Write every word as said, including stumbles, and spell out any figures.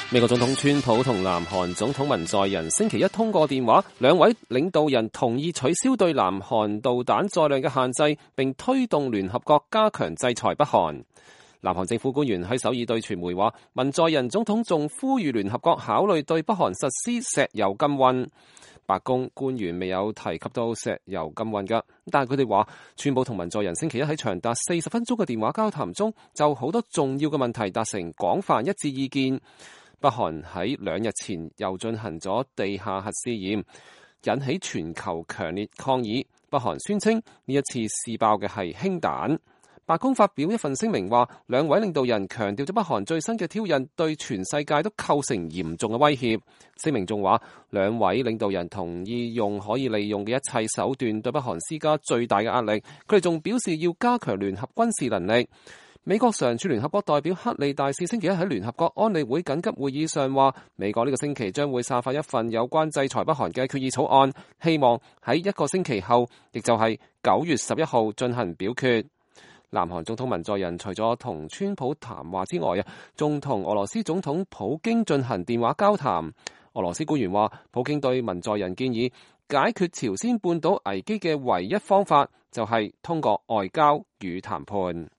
美國總統川普同南韓總統文在寅星期一通過電話，兩位領導人同意取消對南韓導彈載量嘅限制，並推動聯合國加強制裁北韓。南韓政府官員喺首爾對傳媒話，文在寅總統仲呼籲聯合國考慮對北韓實施石油禁運。白宮官員未有提及到石油禁運㗎，但係佢哋話，川普同文在寅星期一喺長達四十分鐘嘅電話交談中，就好多重要嘅問題達成廣泛一致意見。北韓喺兩日前又進行咗地下核試驗，引起全球強烈抗議。北韓宣稱呢一次試爆嘅係氫彈。白宮發表一份聲明話，兩位領導人強調咗北韓最新嘅挑釁對全世界都構成嚴重嘅威脅。聲明仲話，兩位領導人同意用可以利用嘅一切手段對北韓施加最大嘅壓力。佢哋仲表示要加強聯合軍事能力。美國常駐聯合國代表克利大使星期一喺聯合國安理會緊急會議上話，美國呢個星期將會散發一份有關制裁北韓嘅決議草案，希望喺一個星期後，亦就係九月十一號進行表決。南韓總統文在寅除咗同川普談話之外啊，仲同俄羅斯總統普京進行電話交談。俄羅斯官員話，普京對文在寅建議解決朝鮮半島危機嘅唯一方法就係通過外交與談判。